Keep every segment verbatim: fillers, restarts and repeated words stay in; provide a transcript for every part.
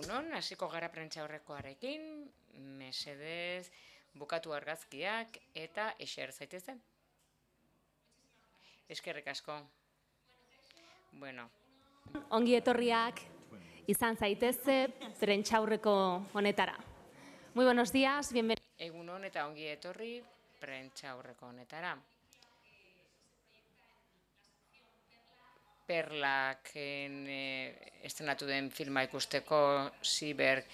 Egunon, hasiko gara prentsaurrekoarekin, mesedez, bukatu argazkiak eta eser zaitezen. Eskerrik asko. Bueno. Ongi etorriak izan zaitezte prentsaurreko honetara. Muy buenos días, bienvenidos. Egunon eta ongi etorri prentsaurreko honetara. Perlak eh, estrenatu den filma ikusteko, Ziberg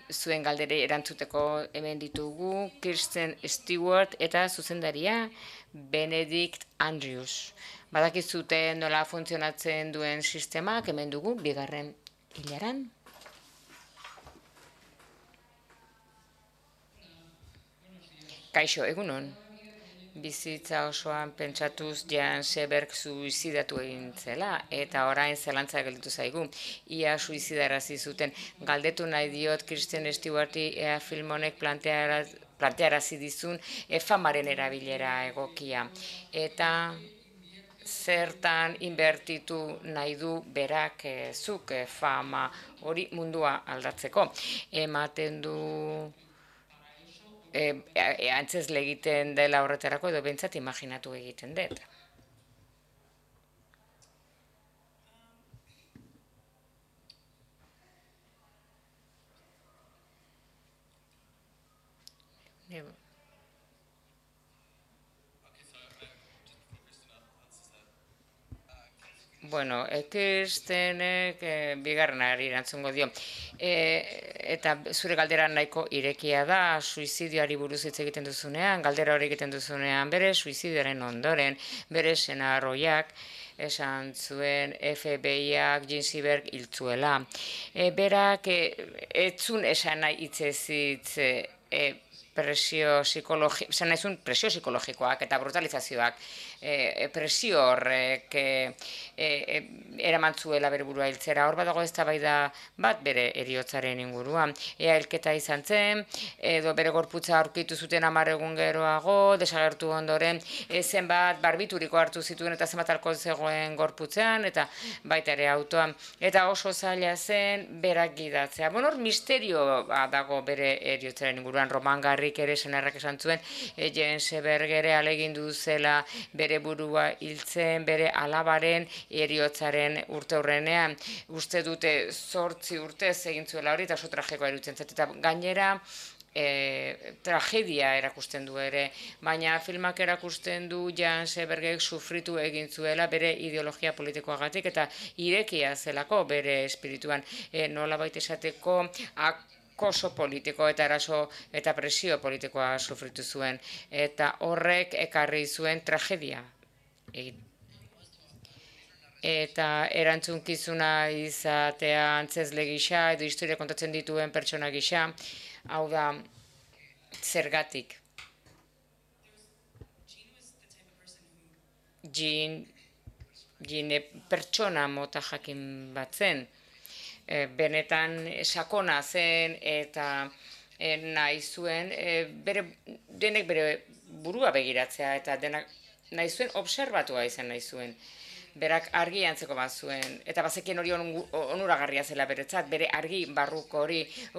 zuen galdere erantzuteko hemen ditugu Kirsten Stewart eta zuzendaria Benedict Andrews. Badakizute nola funtzionatzen duen sistemak hemen dugu bigarren hilaran. Kaixo, egunon. Bizitza osoan pentsatuz Jan Seberg suizidatu egin zela, eta orain zelantza gelditu zaigu. Ia suizidarazi zuten. Galdetu nahi diot Kristen Stewarti ea film honek plantearazi dizun famaren erabilera egokia. Eta zertan inbertitu nahi du berak zuk fama hori mundua aldatzeko. Ematen du E, e, antzezle egiten dela horretarako edo bentsat imaginatu egiten dut. Bueno, Kirstenek e, bigarrenari erantzungo dio. E, eta zure galdera nahiko irekia da, suizidioari buruz hitz egiten duzunean, galdera hori egiten duzunean, bere suizidioaren ondoren, bere senarroiak, esan zuen F B I-ak Jean Seberg hiltzuela. E, berak e, etzun esan nahi hitzez hitz e, presio psikologikoak, esan nahizun presio psikologikoak eta brutalizazioak, e, presio horrek e, e, eraman zuela bere burua hiltzera. Hor badago eztabaida bat bere heriotzaren inguruan. Ea hilketa izan zen, edo bere gorputza aurkitu zuten hamar egun geroago, desagertu ondoren, e, zenbat barbituriko hartu zituen eta zenbat alkohol zegoen gorputzean, eta baita ere autoan. Eta oso zaila zen berak gidatzea. Bueno, hor misterio dago bere heriotzaren inguruan. Romangarrik ere senarrak esan zuen, e, Jean Seberg ere ahalegindu zela bere burua hiltzen, bere alabaren heriotzaren urte hurrenean. Uste dute zortzi urtez egin zuela hori, eta oso tragikoa iruditzen zait. Eta gainera, E, tragedia erakusten du ere, baina filmak erakusten du Jan Sebergek sufritu egin zuela bere ideologia politikoagatik eta irekia zelako bere espirituan, e, nola baita esateko akoso politiko eta eraso eta presio politikoa sufritu zuen, eta horrek ekarri zuen tragedia egin. Eta erantzunkizuna izatea antzezle gisa edo historia kontatzen dituen pertsona gisa, hau da, zergatik. Jean, Jean pertsona mota jakin bat zen, e, benetan sakona zen eta e, nahi zuen, e, bere, denek bere burua begiratzea eta denak nahi zuen observatua izan nahi zuen. Berak argi antzeko bat zuen, eta bazekien hori onuragarria zela beretzat, bere argi barruko hori,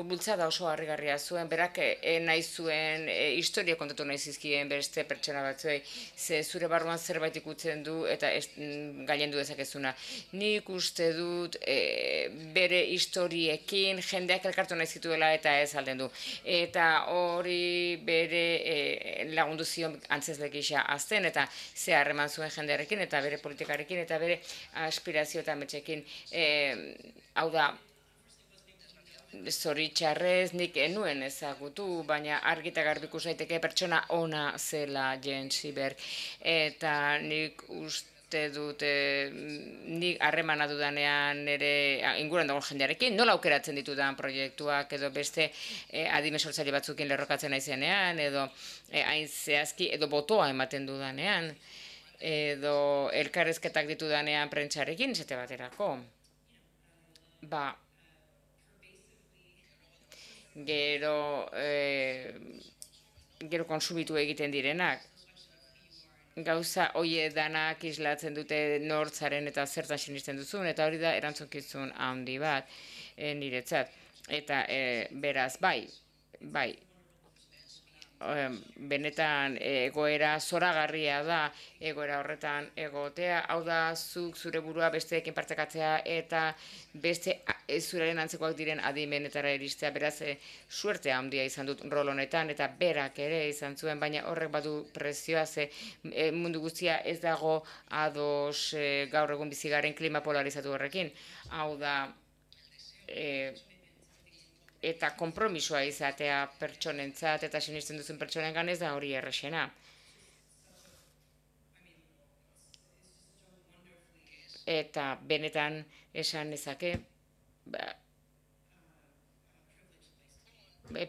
bultzada oso harrigarria zuen, berak e, nahi zuen, e, historia kontatu nahi zizkien beste pertsona batzuei, ze zure barruan zerbait ikutzen du, eta gailendu dezakezuna. Nik uste dut e, bere historiekin jendeak elkartu nahi zituela eta ez alden du. Eta hori bere e, lagundu zion antzezle gisa azten, eta ze harreman zuen jendearekin, eta bere politikarekin, eta bere aspirazio eta metxekin, e, hau da, zoritxarrez nik enuen ezagutu, baina argita garbiku zaiteke pertsona ona zela Jean Seberg, eta nik uste dut, e, nik harremana dudanean ere inguruan dagoen jendearekin, nola aukeratzen ditudan proiektuak, edo beste e, adime sortzaile batzukin lerrokatzen naizenean, edo e, hain zehazki, edo botoa ematen dudanean, edo elkarrezketak ditudanean prentsarekin, esate baterako. Ba, gero, e, gero konsumitu egiten direnak. Gauza hoie danak islatzen dute nortzaren eta zertan sinisten duzun, eta hori da erantzunkizun handi bat e, niretzat. Eta e, beraz, bai, bai, benetan egoera zoragarria da egoera horretan egotea, hau da zuk zure burua besteekin partekatzea eta beste zuraren antzekoak diren adimenetara iristea, beraz e, suerte handia izan dut rol honetan eta berak ere izan zuen, baina horrek badu prezioa ze e, mundu guztia ez dago ados e, gaur egun bizigaren klima polarizatu horrekin, hau da e, eta konpromisoa izatea pertsonentzat eta sinisten duzun pertsonengan ez da hori errexena. Eta benetan esan nezake, ba,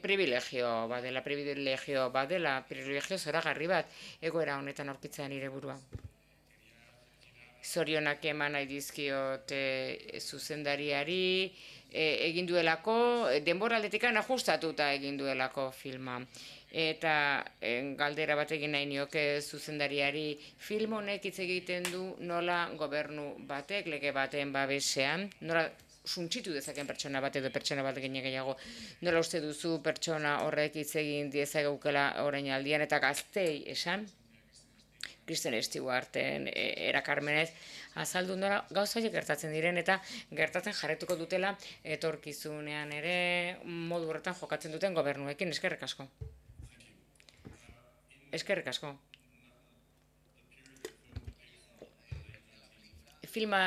privilegio badela, privilegio badela, privilegio zoragarri bat egoera honetan aurkitzea nire burua. Zorionak eman nahi dizkiot e, zuzendariari, e, egin duelako, denboraldetikan ajustatuta egin duelako filma. Eta e, galdera bat egin nahi nioke zuzendariari, film honek hitz egiten du nola gobernu batek, lege baten babesean, nola suntsitu dezaken pertsona bat edo pertsona bat gine gehiago, nola uste duzu pertsona horrek hitz egin diezagukela orain aldian eta gaztei esan, Kristen Stewarten erakarmenez azaldu nola gauzaiek gertatzen diren eta gertatzen jarretuko dutela etorkizunean ere modu horretan jokatzen duten gobernuekin. Eskerrik asko. Eskerrik asko. Filma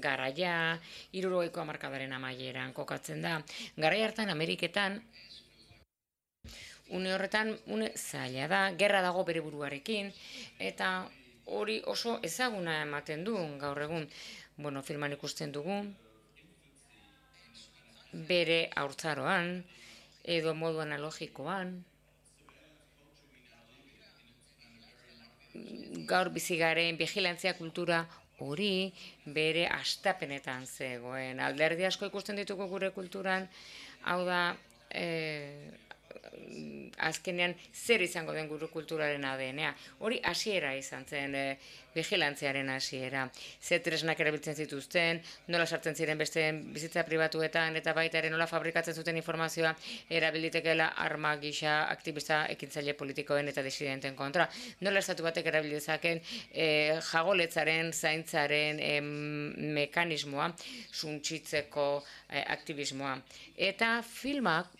garaia hirurogeiko hamarkadaren amaieran kokatzen da. Garai hartan Ameriketan une horretan, une zaila da, gerra dago bere buruarekin, eta hori oso ezaguna ematen du gaur egun. Bueno, filman ikusten dugu, bere haurtzaroan, edo modu analogikoan, gaur bizigaren vigilantzia kultura hori bere astapenetan zegoen. Alderdi asko ikusten ditugu gure kulturan, hau da, e, azkenean zer izango den gure kulturaren A D N-a. Hori hasiera izan zen, e, vigilantziaren hasiera. Ze tresnak erabiltzen zituzten, nola sartzen ziren beste bizitza pribatuetan, eta baita ere nola fabrikatzen zuten informazioa erabilitekela arma gisa aktivista ekintzaile politikoen eta disidenten kontra. Nola estatu batek erabilizaken e, jagoletzaren, zaintzaren e, mekanismoa, suntsitzeko e, aktivismoa. Eta filmak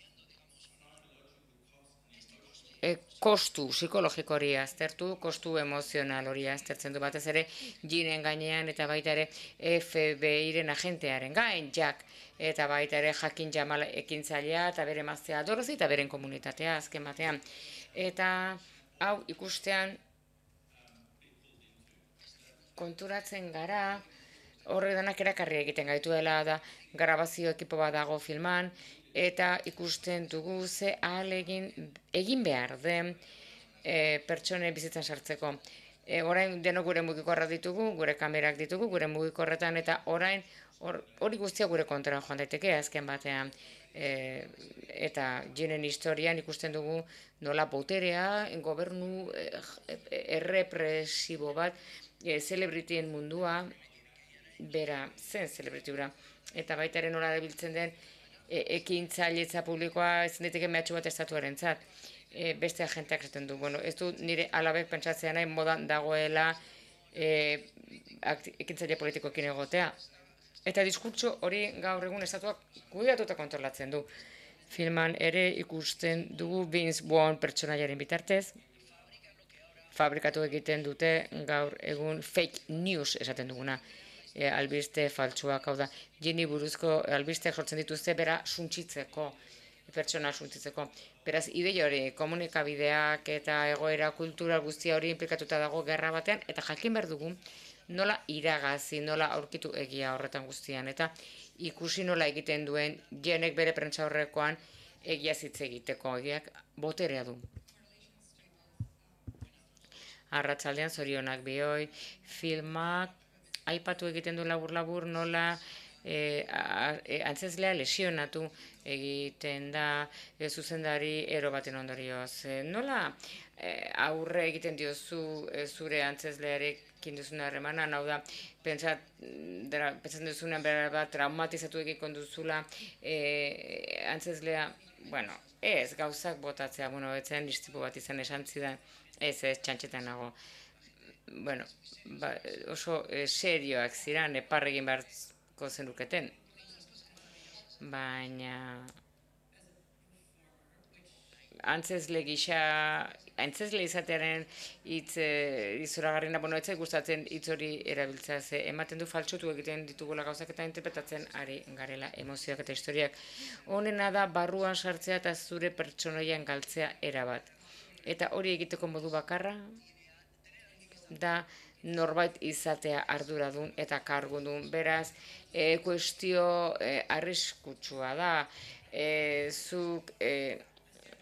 E, kostu psikologiko hori aztertu, kostu emozional hori aztertzen du batez ere jinen gainean eta baita ere F B I-ren agentearen gain, Jack, eta baita ere Jakin Jamal ekintzailea eta bere emaztea Dorothy eta beren komunitatea azken batean. Eta hau ikustean konturatzen gara, horre danak erakarri egiten gaituela da grabazio ekipo bat dago filman, eta ikusten dugu ze ahalegin egin behar den e, pertsone bizitzan sartzeko. E, orain denok gure mugikorra ditugu, gure kamerak ditugu, gure mugikorretan, eta orain hori or, guztia gure kontra joan daiteke azken batean. E, eta jenen historian ikusten dugu nola boterea, gobernu e, errepresibo bat, e, celebritien mundua, bera zen celebritura, eta baita ere nola erabiltzen den ekintzailetza publikoa ez daiteke mehatxu bat estatuaren zat. E, beste agenteak esaten du. Bueno, ez du nire alabek pentsatzea nahi modan dagoela e, ekintzaile politikoekin egotea. Eta diskurtso hori gaur egun estatuak kudeatuta kontrolatzen du. Filman ere ikusten dugu Vince Vaughn pertsonaiaren bitartez. Fabrikatu egiten dute gaur egun fake news esaten duguna. E, albiste faltsuak, hau da, jeni buruzko albisteak sortzen dituzte bera suntsitzeko, pertsona suntsitzeko. Beraz, ideia hori, komunikabideak eta egoera kultura guztia hori implikatuta dago gerra batean, eta jakin behar dugu nola iragazi, nola aurkitu egia horretan guztian, eta ikusi nola egiten duen jenek bere prentsa horrekoan egia hitz egiteko, egiak boterea du. Arratsaldean zorionak bihoi, filmak, aipatu egiten du labur-labur nola e, a, e, antzezlea lesionatu egiten da e, zuzendari ero baten ondorioz. E, nola e, aurre egiten diozu e, zure antzezlearekin duzun harremana, hau da, pentsat, dara, pentsatzen duzunean behar bat traumatizatu egiten duzula e, antzezlea, bueno, ez, gauzak botatzea, bueno, etzen istripu bat izan esan zidan, ez, ez, txantxetan nago. Bueno, ba, oso e, serioak ziran, epar egin beharko zenuketen. Baina antzezle gisa, antzezle izatearen hitz e, izoragarrina, bueno, ez zait gustatzen hitz hori erabiltzea, ze ematen du faltsutu egiten ditugula gauzak eta interpretatzen ari garela emozioak eta historiak. Honena da barruan sartzea eta zure pertsonoian galtzea erabat. Eta hori egiteko modu bakarra da norbait izatea arduradun eta kargudun. Beraz, e, kuestio e, arriskutsua da. E, zuk e,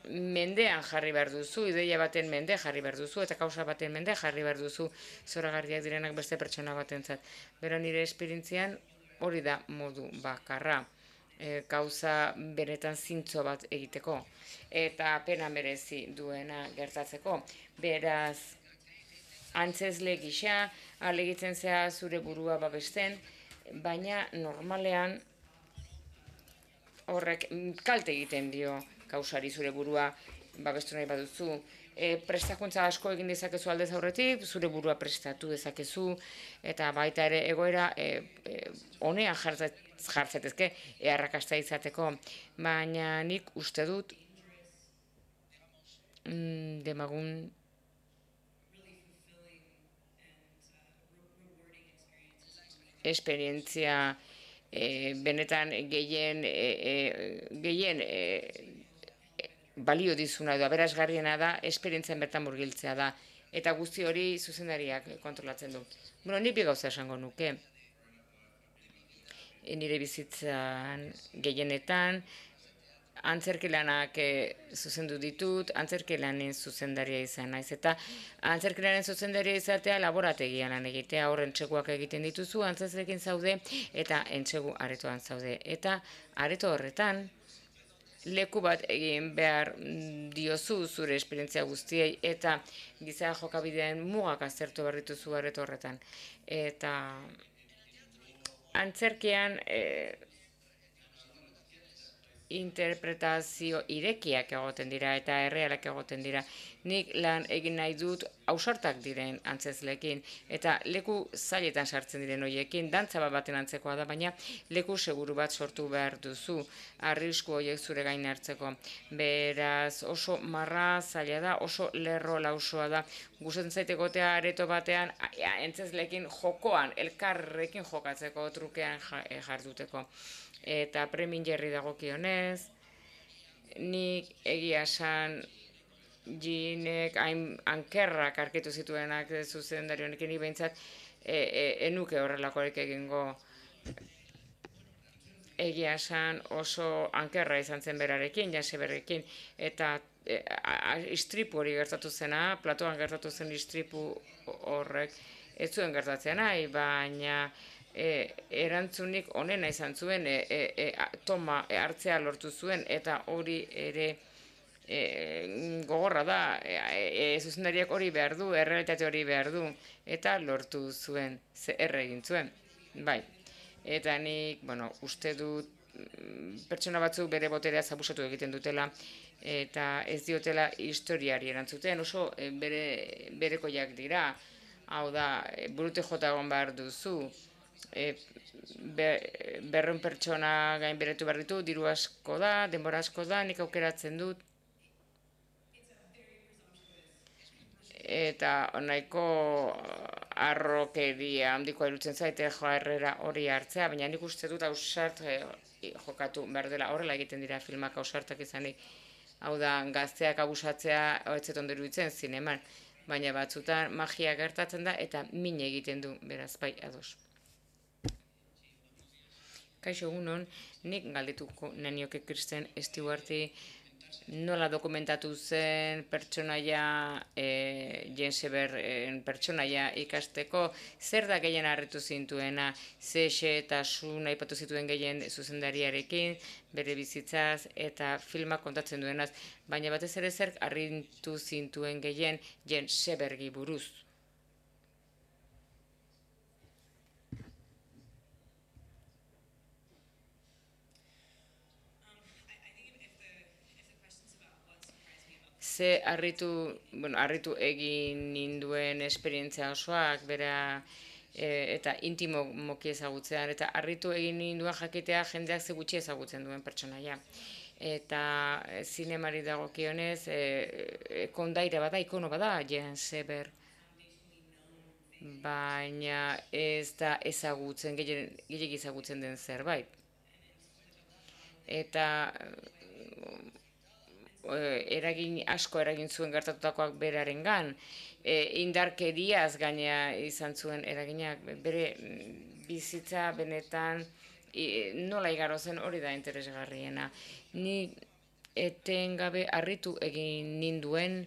mendean jarri behar duzu, ideia baten mende jarri behar duzu, eta kausa baten mende jarri behar duzu zoragarriak direnak beste pertsona batentzat. Bera nire esperientzian hori da modu bakarra. E, gauza benetan zintzo bat egiteko. Eta pena merezi duena gertatzeko. Beraz, antzezle gisa, alegitzen zea zure burua babesten, baina normalean horrek kalte egiten dio kausari zure burua babestu nahi baduzu. E, prestakuntza asko egin dezakezu aldez aurretik, zure burua prestatu dezakezu, eta baita ere egoera e, e, honean jartzetezke, eharrakasta izateko, baina nik uste dut mm, demagun esperientzia e, benetan gehien e, e, gehien e, balio dizuna edo aberasgarriena da esperientzien bertan murgiltzea da, eta guzti hori zuzendariak kontrolatzen du. Bueno, nik bi gauza esango nuke. E, nire bizitzan gehienetan antzerkilanak e, zuzendu ditut, antzerkilanen zuzendaria izan naiz, eta antzerkilanen zuzendaria izatea laborategian lan egitea, hor entseguak egiten dituzu, antzezlekin zaude, eta entsegu aretoan zaude. Eta areto horretan, leku bat egin behar diozu zure esperientzia guztiei, eta giza jokabideen mugak aztertu behar dituzu areto horretan. Eta antzerkian e, interpretazio irekiak egoten dira eta errealak egoten dira. Nik lan egin nahi dut ausartak diren antzezlekin eta leku zailetan sartzen diren horiekin, dantza bat baten antzekoa da, baina leku seguru bat sortu behar duzu, arrisku horiek zure gain hartzeko. Beraz, oso marra zaila da, oso lerro lausoa da. Gustatzen zait egotea areto batean antzezlekin jokoan, elkarrekin jokatzeko, trukean jarduteko. Eta premin jerri dagokionez, nik egia esan jinek hain ankerrak arkitu zituenak zuzendari honekin, nik behintzat e, e, enuke horrelakorik egingo. Egia esan oso ankerra izan zen berarekin, Jaseberrekin, eta e, istripu hori gertatu zena, platoan gertatu zen istripu horrek, ez zuen gertatzen nahi, baina E, erantzunik onena izan zuen, e, e, e, toma e, hartzea lortu zuen, eta hori ere e, gogorra da, e, e, zuzendariak hori behar du, errealitate hori behar du, eta lortu zuen, ze erre egin zuen, bai. Eta nik, bueno, uste dut pertsona batzuk bere boterea zabusatu egiten dutela, eta ez diotela historiari erantzuten, oso e, bere, berekoiak dira, hau da, e, burute jota egon behar duzu, E, be, berreun pertsona gain beretu behar ditu, diru asko da, denbora asko da, nik aukeratzen dut. Eta nahiko arrokeria handikoa irutzen zaite joarrera hori hartzea, baina nik uste dut ausart e, jokatu behar dela, horrela egiten dira filmak ausartak izanik. Hau da, gazteak abusatzea hoetzeton dut iruditzen zineman, baina batzutan magia gertatzen da eta min egiten du, beraz, bai, ados. Kaixo egunon, nik galdetuko nenioke Kristen Stewarti nola dokumentatu zen pertsonaia, e, Jane Seberren pertsonaia ikasteko, zer da gehien harritu zintuena, ze xehetasun aipatu zituen gehien zuzendariarekin, bere bizitzaz eta filmak kontatzen duenaz, baina batez ere zer harritu zintuen gehien Jane Sebergi buruz. Ze harritu, bueno, harritu egin ninduen esperientzia osoak, bera e, eta intimo moki ezagutzean, eta harritu egin ninduen jakitea jendeak ze gutxi ezagutzen duen pertsonaia. Eta e, zinemari dagokionez, e, e, kondaira bada, ikono bada, Jane Seber, baina ez da ezagutzen, gehiagik ezagutzen den zerbait. Eta eragin asko eragin zuen gertatutakoak berarengan, e, indarkeriaz gaina izan zuen eraginak, bere bizitza benetan e, nola igaro zen hori da interesgarriena. Ni etengabe harritu egin ninduen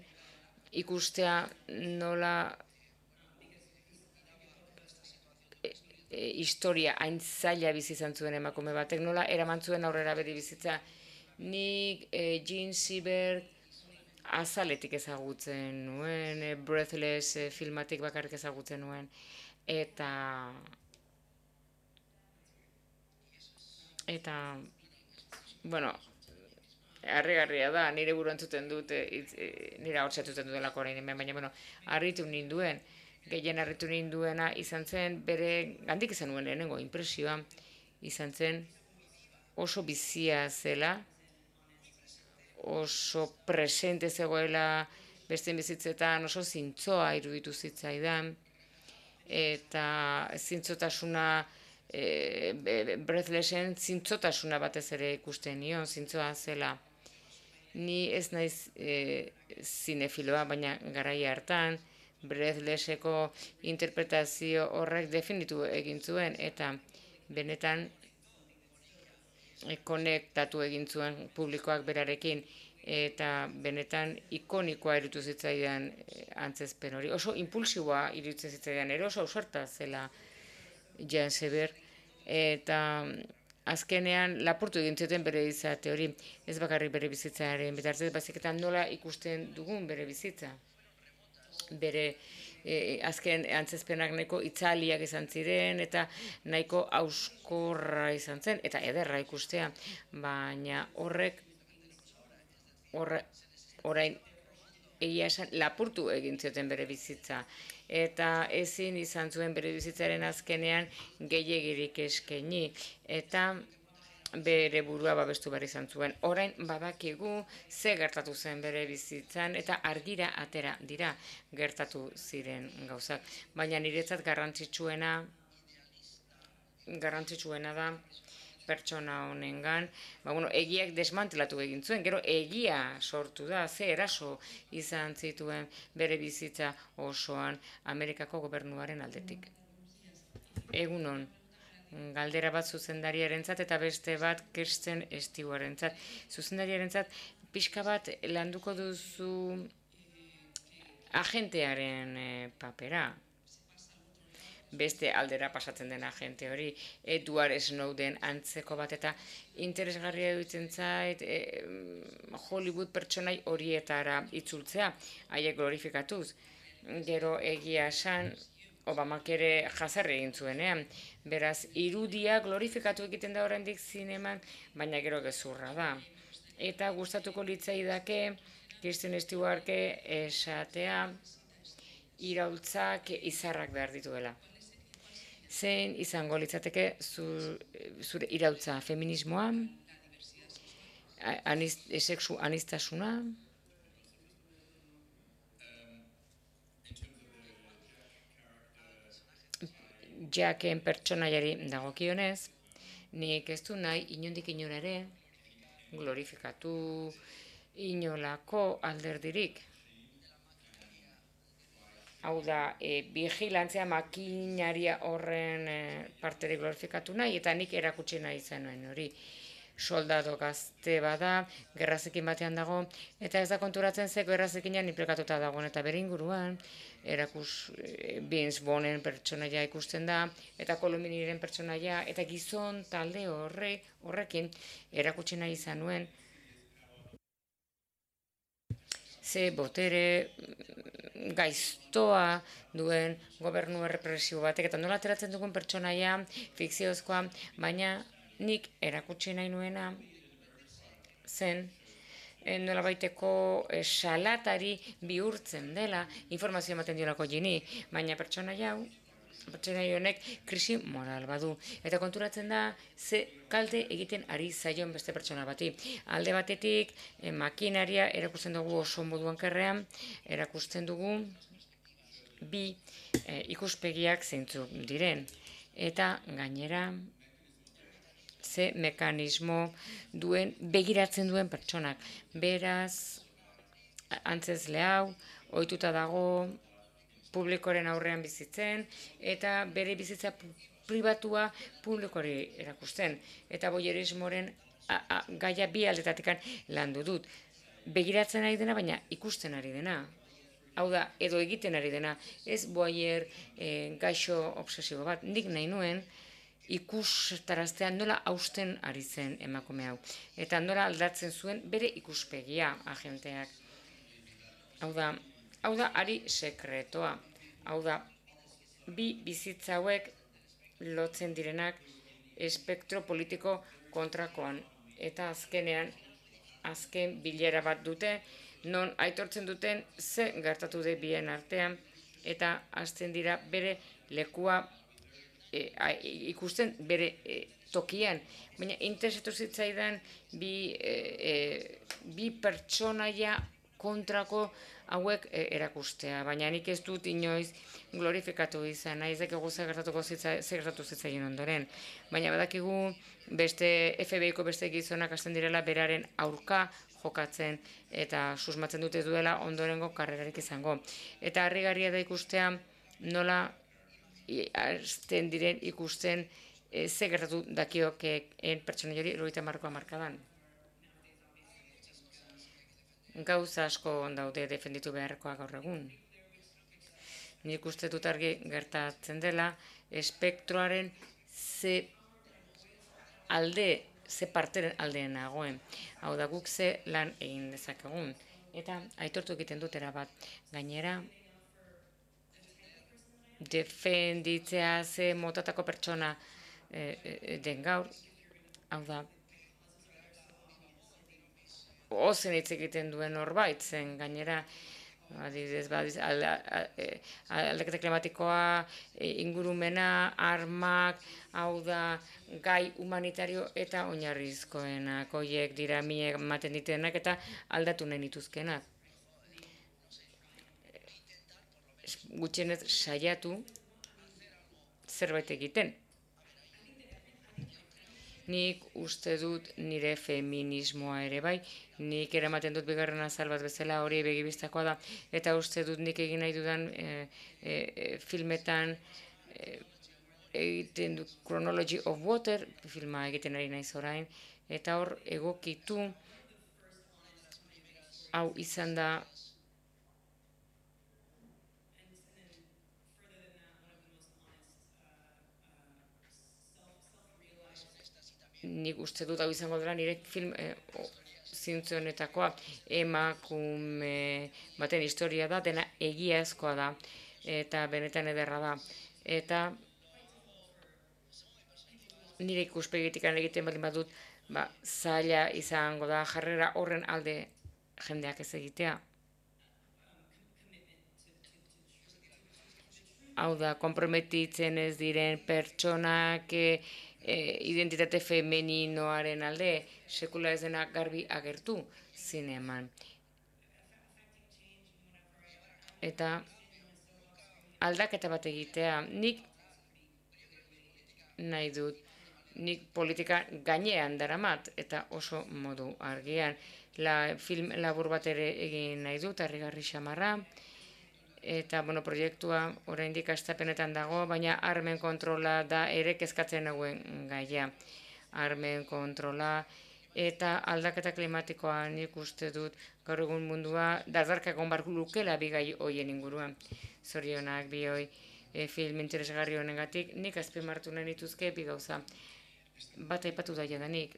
ikustea nola e, e, historia hain zaila bizi izan zuen emakume batek, nola eraman zuen aurrera bere bizitza. Nik e, Jean Seberg azaletik ezagutzen nuen, e, Breathless e, filmatik bakarrik ezagutzen nuen, eta eta bueno, harrigarria da, nire buru entzuten dut, e, e, nire hau txatuten dutelako orain hemen, baina bueno, harritu ninduen, gehien harritu ninduena izan zen, bere gandik izan nuen lehenengo impresioa, izan zen oso bizia zela, oso presente zegoela beste bizitzetan, oso zintzoa iruditu zitzaidan, eta zintzotasuna, e, Breathlesen zintzotasuna batez ere ikusten nion, zintzoa zela. Ni ez naiz e, zinefiloa, baina garaia hartan, Breathleseko interpretazio horrek definitu egin zuen, eta benetan konektatu egin zuen publikoak berarekin, eta benetan ikonikoa iruditu zitzaidan antzezpen hori. Oso impulsiboa iruditzen zitzaidan, ere oso ausarta zela Jane Seber, eta azkenean lapurtu egin zuten bere izate hori, ez bakarrik bere bizitzaren bitartez, baizik eta nola ikusten dugun bere bizitza. Bere E, azken antzezpenak nahiko itzaliak izan ziren eta nahiko hauskorra izan zen eta ederra ikustea, baina horrek horre, orain egia esan lapurtu egin zioten bere bizitza eta ezin izan zuen bere bizitzaren azkenean gehiegirik eskaini eta bere burua babestu behar izan zuen. Orain badakigu ze gertatu zen bere bizitzan eta argira atera dira gertatu ziren gauzak. Baina niretzat garrantzitsuena, garrantzitsuena da pertsona honengan, ba, bueno, egiak desmantelatu egin zuen, gero egia sortu da, ze eraso izan zituen bere bizitza osoan Amerikako gobernuaren aldetik. Egunon. Galdera bat zuzendariarentzat eta beste bat Kirsten Stewartentzat. Zuzendariarentzat pixka bat landuko duzu agentearen e, papera. Beste aldera pasatzen den agente hori, Edward Snowden antzeko bat, eta interesgarria dutzen zait e, Hollywood pertsonai horietara itzultzea, haiek glorifikatuz. Gero egia esan, Obamak ere jazarri egin zuenean. Beraz, irudia glorifikatu egiten da oraindik zineman, baina gero gezurra da. Eta gustatuko litzaidake Kristen Stewartke esatea iraultzak izarrak behar dituela. Zein izango litzateke zure iraultza, feminismoa, anist, sexu anistasuna, Jacken pertsonaiari dagokionez, nik ez du nahi inondik inora ere glorifikatu inolako alderdirik. Hau da, e, vigilantzia makinaria horren e, parterik glorifikatu nahi, eta nik erakutsi nahi zenuen hori. soldado gazte bada, gerrazekin batean dago, eta ez da konturatzen ze gerrazekinan implikatuta dagoen, eta bere inguruan, erakus Vince Vaughnen pertsonaia ikusten da, eta Kolominiren pertsonaia, eta gizon talde horre, horrekin erakutsi nahi izan nuen, ze botere gaiztoa duen gobernu errepresibo batek, eta nola ateratzen dugun pertsonaia fikziozkoa, baina nik erakutsi nahi nuena zen nola baiteko salatari bihurtzen dela informazio ematen diolako gini, baina pertsonaia hau, pertsonaia honek krisi moral badu. Eta konturatzen da ze kalte egiten ari zaion beste pertsona bati. Alde batetik, eh, makinaria erakusten dugu oso moduan kerrean, erakusten dugu bi eh, ikuspegiak zeintzuk diren. Eta gainera, ze mekanismo duen, begiratzen duen pertsonak. Beraz, antzezle hau, ohituta dago publikoren aurrean bizitzen, eta bere bizitza pribatua publikori erakusten. Eta boyerismoren gaia bi aldetatikan landu dut. Begiratzen ari dena, baina ikusten ari dena. Hau da, edo egiten ari dena. Ez boyer e, gaixo obsesibo bat. Nik nahi nuen, ikustaraztean nola hausten ari zen emakume hau. Eta nola aldatzen zuen bere ikuspegia agenteak. Hau da, hau da ari sekretoa. Hau da, bi bizitza hauek lotzen direnak espektro politiko kontrakoan. Eta azkenean, azken bilera bat dute, non aitortzen duten ze gertatu de bien artean, eta hasten dira bere lekua E, a, ikusten bere e, tokian, baina interesatu zitzaidan bi, e, e, bi pertsonaia kontrako hauek e, erakustea, baina nik ez dut inoiz glorifikatu izan, nahi ezakegu ze gertatuko zitza, ze gertatu zitzaien ondoren, baina badakigu beste F B I-ko beste gizonak hasten direla beraren aurka jokatzen eta susmatzen dute duela ondorengo karrerarik izango. Eta harrigarria da ikustea nola hasten diren ikusten e, ze gertatu dakiokeen pertsona jori eroita markoa markadan. Gauza asko daude defenditu beharrekoa gaur egun. Nik uste dut argi gertatzen dela espektroaren ze alde, ze parteren aldeen nagoen. Hau da guk ze lan egin dezakegun. Eta aitortu egiten dut erabat. Gainera, defenditzea ze motatako pertsona e, e, den gaur, hau da, ozen hitz egiten duen norbait zen gainera, adibidez, aldaketa klimatikoa, ingurumena, armak, hau da, gai humanitario eta oinarrizkoenak, horiek dira minek ematen ditenak eta aldatu nahi nituzkenak. Gutxienez saiatu zerbait egiten. Nik uste dut nire feminismoa ere bai, nik eramaten dut bigarren azal bat bezala hori begibistakoa da, eta uste dut nik egin nahi dudan e, e, e, filmetan e, egiten du Chronology of Water, filma egiten ari naiz orain, eta hor egokitu hau izan da nik uste dut hau izango dela nire film e, zintzu honetakoa emakume baten historia da, dena egiazkoa da, eta benetan ederra da. Eta nire ikuspegitik egiten baldin badut, ba, zaila izango da jarrera horren alde jendeak ez egitea. Hau da, konprometitzen ez diren pertsonak e, e, identitate femeninoaren alde, sekula ez dena garbi agertu zineman. Eta aldaketa bat egitea, nik nahi dut, nik politika gainean daramat, eta oso modu argian. La, film labur bat ere egin nahi dut, harrigarri xamarra, eta bueno, proiektua oraindik hastapenetan dago, baina armen kontrola da ere kezkatzen nagoen gaia. armen kontrola, eta aldaketa klimatikoa nik uste dut gaur egun mundua dardarkak egon barku lukela bigai hoien inguruan. Zorionak bi hoi e, film interesgarri honengatik, nik azpimarratu nahi nituzke bi gauza. Bat aipatu da jadanik,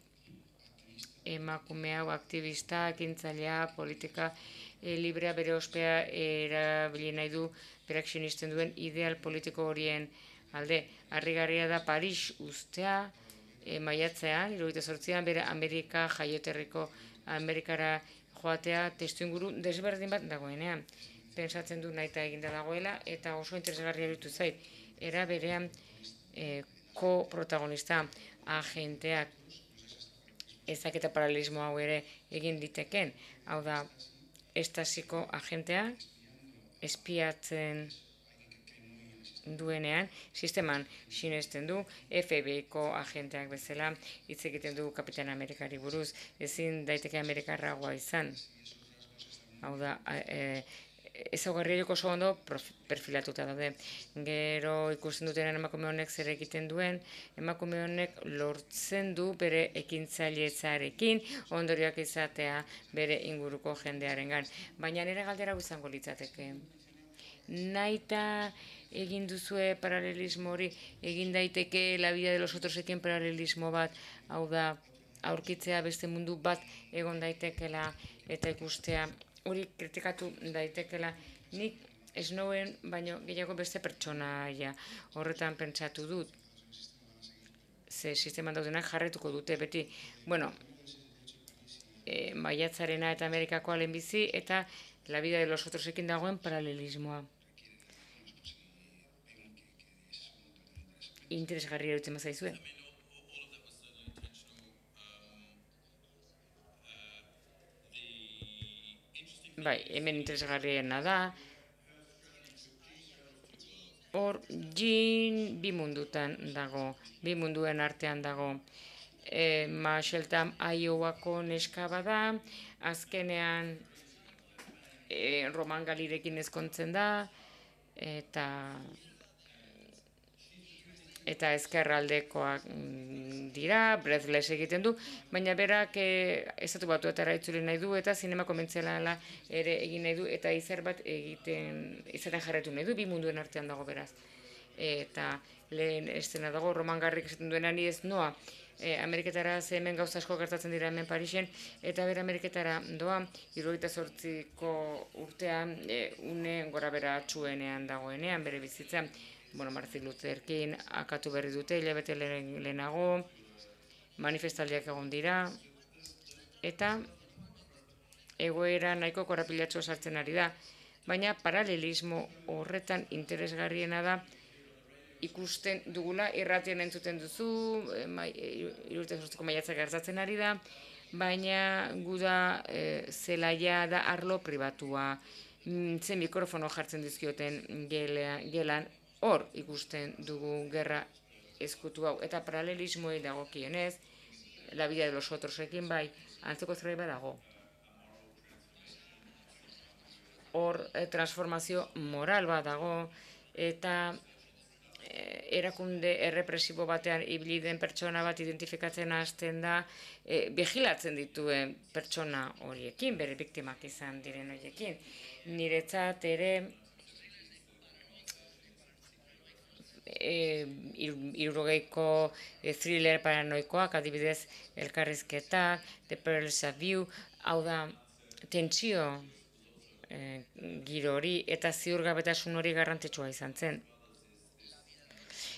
emakume hau aktivista, ekintzailea, politika e, librea bere ospea erabili nahi du berak sinisten duen ideal politiko horien alde. Harrigarria da Paris ustea, e, maiatzean, hirurogeita zortzian, bere Amerika jaioterriko Amerikara joatea testuinguru desberdin bat dagoenean. Pentsatzen du nahita eginda dagoela, eta oso interesgarria iruditu zait. Era berean e, ko-protagonista agenteak ezak eta paralelismo hau ere egin diteken. Hau da, estasiko agentea espiatzen duenean, sisteman sinesten du, F B I-ko agenteak bezala hitz egiten du Kapitan Amerikari buruz, ezin daiteke Amerikarragoa izan. Hau da, e, ezaugarriak oso ondo perfilatuta daude. Gero ikusten dutenen emakume honek zer egiten duen, emakume honek lortzen du bere ekintzailetzarekin ondorioak izatea bere inguruko jendearengan. Baina nire galdera izango litzateke. Naita egin duzue paralelismo hori, egin daiteke La vida de los otrosekin paralelismo bat, hau da, aurkitzea beste mundu bat egon daitekela eta ikustea hori kritikatu daitekela. Nik ez noen, baino gehiago beste pertsonaia horretan pentsatu dut. Ze sisteman daudenak jarretuko dute beti, bueno, e, maiatzarena eta Amerikakoa lehenbizi eta La vida de los otrosekin dagoen paralelismoa. Interesgarria erutzen mazaizue. Bai, hemen interesgarriena da. Hor, Jean bi mundutan dago, bi munduen artean dago. E, Marshalltown, Iowako neska bada, azkenean e, Roman Galirekin ezkontzen da, eta eta ezkerraldekoak dira, breathless egiten du, baina berak e, estatu batuetara itzuli nahi du, eta zinema komentziala ere egin nahi du, eta izer bat egiten, izaten jarretu nahi du, bi munduen artean dago beraz. Eta lehen estena dago, Roman Garrik esaten duena ni ez noa, e, Ameriketara ze hemen gauza asko gertatzen dira hemen Parisen, eta bere Ameriketara doa, hirurogeita zortziko urtean, e, une gora bera txuenean dagoenean, bere bizitzan, bueno, Martin Luther King akatu berri dute, hilabete lehenago, manifestaldiak egon dira, eta egoera nahiko korapilatxo sartzen ari da. Baina paralelismo horretan interesgarriena da, ikusten dugula, irratien entzuten duzu, hirurogeita zortziko maiatzak gertatzen ari da, baina guda e, zelaia da arlo pribatua, zen mikrofono jartzen dizkioten gelan, hor ikusten dugu gerra ezkutu hau, eta paralelismoei dagokienez, La vida de los otrosekin bai, antzeko zerbait badago. Hor transformazio moral bat dago, eta erakunde errepresibo batean ibili den pertsona bat identifikatzen hasten da, e, bigilatzen dituen pertsona horiekin, bere biktimak izan diren horiekin. Niretzat ere, hirurogeiko e, thriller paranoikoak, adibidez elkarrizketak, The Pearls of View, hau da, tentsio e, giro hori eta ziurgabetasun hori garrantzitsua izan zen.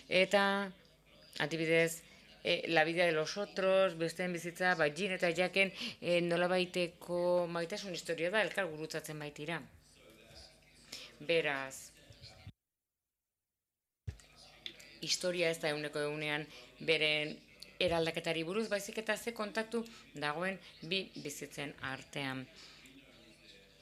Eta, adibidez, e, La vida de los otros, besteen bizitza, bai, Jean eta Jacken e, nolabaiteko maitasun historia da, elkar gurutzatzen baitira. Beraz, historia ez da eguneko egunean beren eraldaketari buruz, baizik eta ze kontaktu dagoen bi bizitzen artean.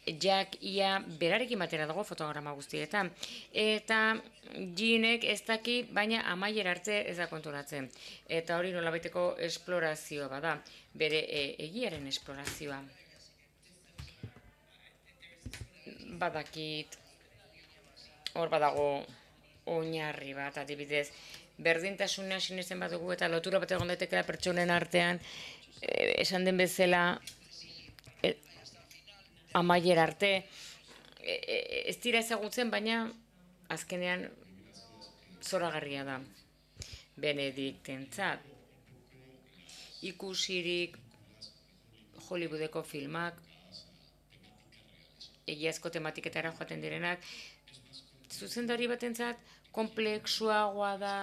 Jack ia berarekin batera dago fotograma guztietan, eta Jeanek ez daki, baina amaier arte ez da konturatzen. Eta hori nolabaiteko esplorazioa bada, bere e, egiaren esplorazioa. Badakit, hor badago oinarri bat, adibidez, berdintasuna sinesten badugu eta lotura bat egon daitekela pertsonen artean, esan den bezala, amaier arte, ez dira ezagutzen, baina azkenean zoragarria da. Benediktentzat, ikusirik Hollywoodeko filmak, egiazko tematiketara joaten direnak, zuzendari batentzat konplexuagoa da,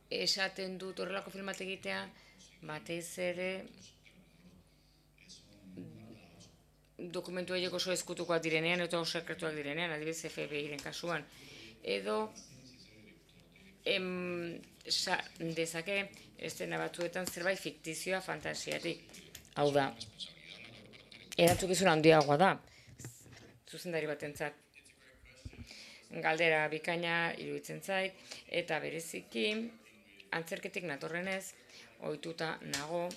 esaten dut horrelako filmat egitea, batez ere dokumentu horiek oso ezkutukoak direnean eta oso sekretuak direnean, adibidez F B I-ren kasuan. Edo em, sa, dezake estena batzuetan zerbait fiktizioa fantasiatik. Hau da, erantzukizun handiagoa da, zuzendari batentzat. Galdera bikaina iruditzen zait, eta bereziki antzerketik natorrenez, ohituta nago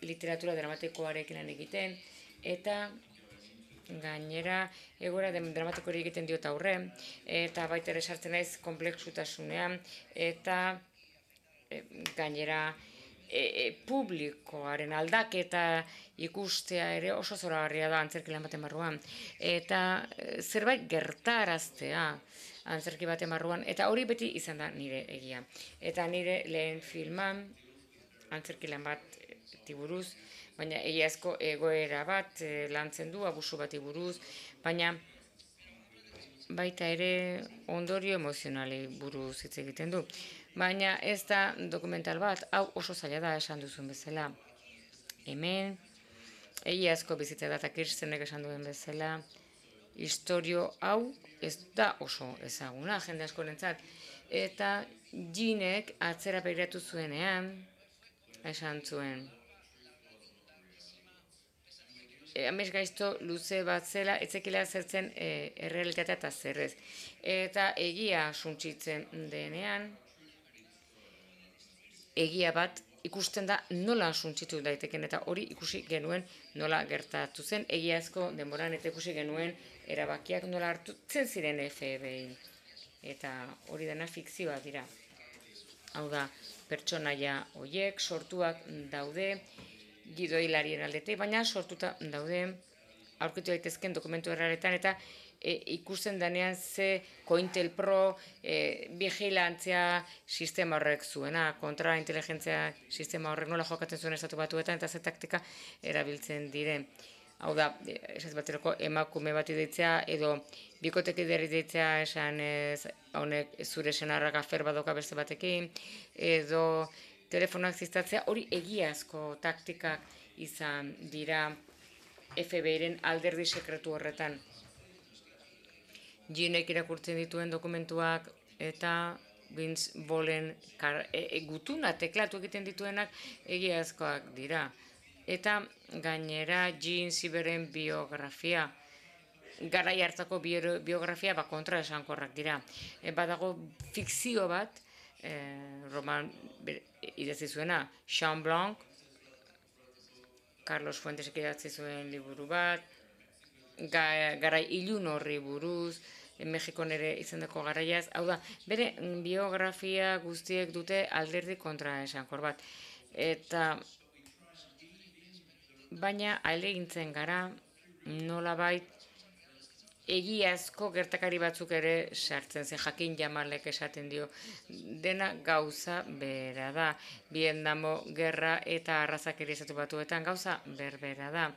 literatura dramatikoarekin lan egiten, eta gainera egoera dramatiko hori egiten diot aurre, eta baita ere sartzen naiz konplexutasunean, eta e, gainera e, e, publikoaren aldaketa ikustea ere oso zoragarria da antzerki lan baten barruan. Eta e, zerbait gertaraztea antzerki baten barruan, eta hori beti izan da nire egia. Eta nire lehen filman, antzerki lan bat buruz, baina egiazko egoera bat e, lantzen du, abusu bati buruz, baina baita ere ondorio emozionali buruz hitz egiten du. Baina ez da dokumental bat, hau oso zaila da esan duzun bezala. Hemen, egiazko bizitza data Kirstenek esan duen bezala, historio hau ez da oso ezaguna, jende askorentzat. Eta Ginek atzera begiratu zuenean, esan zuen, amez gaizto luze bat zela, etzekila zertzen e, errealitatea eta zerrez. Eta egia suntsitzen denean, egia bat ikusten da nola suntsitu daiteken, eta hori ikusi genuen nola gertatu zen, egiazko denboran eta ikusi genuen erabakiak nola hartutzen ziren F B I. Eta hori dena fikzioa dira. Hau da, pertsonaia horiek sortuak daude, gidoilarien aldetik, baina sortuta daude aurkitu daitezken dokumentu erraretan, eta e, ikusten denean ze COINTELPRO e, vigilantzia sistema horrek zuena, kontrainteligentzia sistema horrek nola jokatzen zuen estatu batuetan, eta ze taktika erabiltzen diren. Hau da, esaz baterako emakume bat ideitzea, edo bikoteki derri deitzea esan ez, honek zure senarrak afer badoka beste batekin, edo telefonoak ziztatzea, hori egiazko taktikak izan dira F B I-ren alderdi sekretu horretan. Ginek irakurtzen dituen dokumentuak eta Vince Vaughnen e, e, gutuna teklatu egiten dituenak egiazkoak dira. Eta gainera Jean Siberen biografia, garai hartako biografia ba kontra esankorrak dira. E, badago fikzio bat, Eh, roman idatzi zuena, Jean Blanc, Carlos Fuentesek idatzi zuen liburu bat, ga, garai ilun horri buruz, Mexikon ere izandako garaiaz, hau da, bere biografia guztiek dute alderdi kontra esankor bat. Eta baina ahalegintzen gara nolabait egiazko gertakari batzuk ere sartzen zen, Jakin Jamalek esaten dio, dena gauza bera da. Vietnamo gerra eta arrazakeri estatu batuetan gauza berbera da.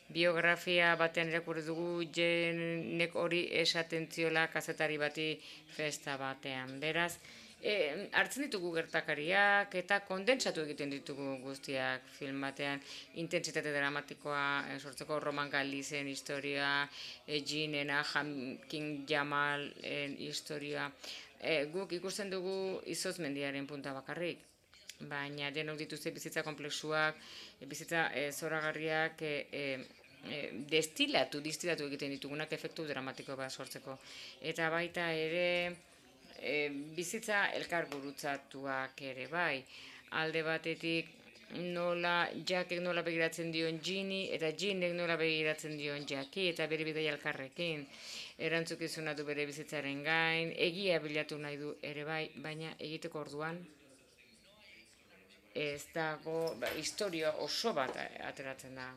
Biografia batean irakurri dugu Jenek hori esaten ziola kazetari bati festa batean. Beraz, E, hartzen ditugu gertakariak eta kondentsatu egiten ditugu guztiak film batean, intentsitate dramatikoa e, sortzeko Roman Galizen historia, e, Ginena, Jakin Jamalen historia. E, guk ikusten dugu Izotz mendiaren punta bakarrik, baina denok dituzte bizitza komplexuak, e, bizitza e, zoragarriak, e, e, destilatu, distilatu egiten ditugunak efektu dramatiko bat sortzeko. Eta baita ere, E, bizitza elkar gurutzatuak ere bai. Alde batetik nola Jackek nola begiratzen dion Ginny, eta Ginnek nola begiratzen dion Jacki, eta bere bidai elkarrekin. Erantzukizuna du bere bizitzaren gain, egia bilatu nahi du ere bai, baina egiteko orduan ez dago, ba, historia oso bat ateratzen da.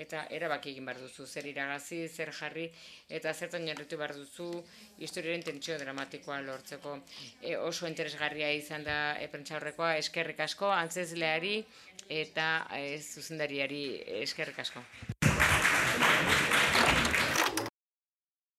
Eta erabaki egin behar duzu, zer iragazi, zer jarri, eta zertan jarritu behar duzu historiaren tentsio dramatikoa lortzeko. E, oso interesgarria izan da e, prentsaurrekoa, eskerrik asko, antzezleari eta e, zuzendariari eskerrik asko.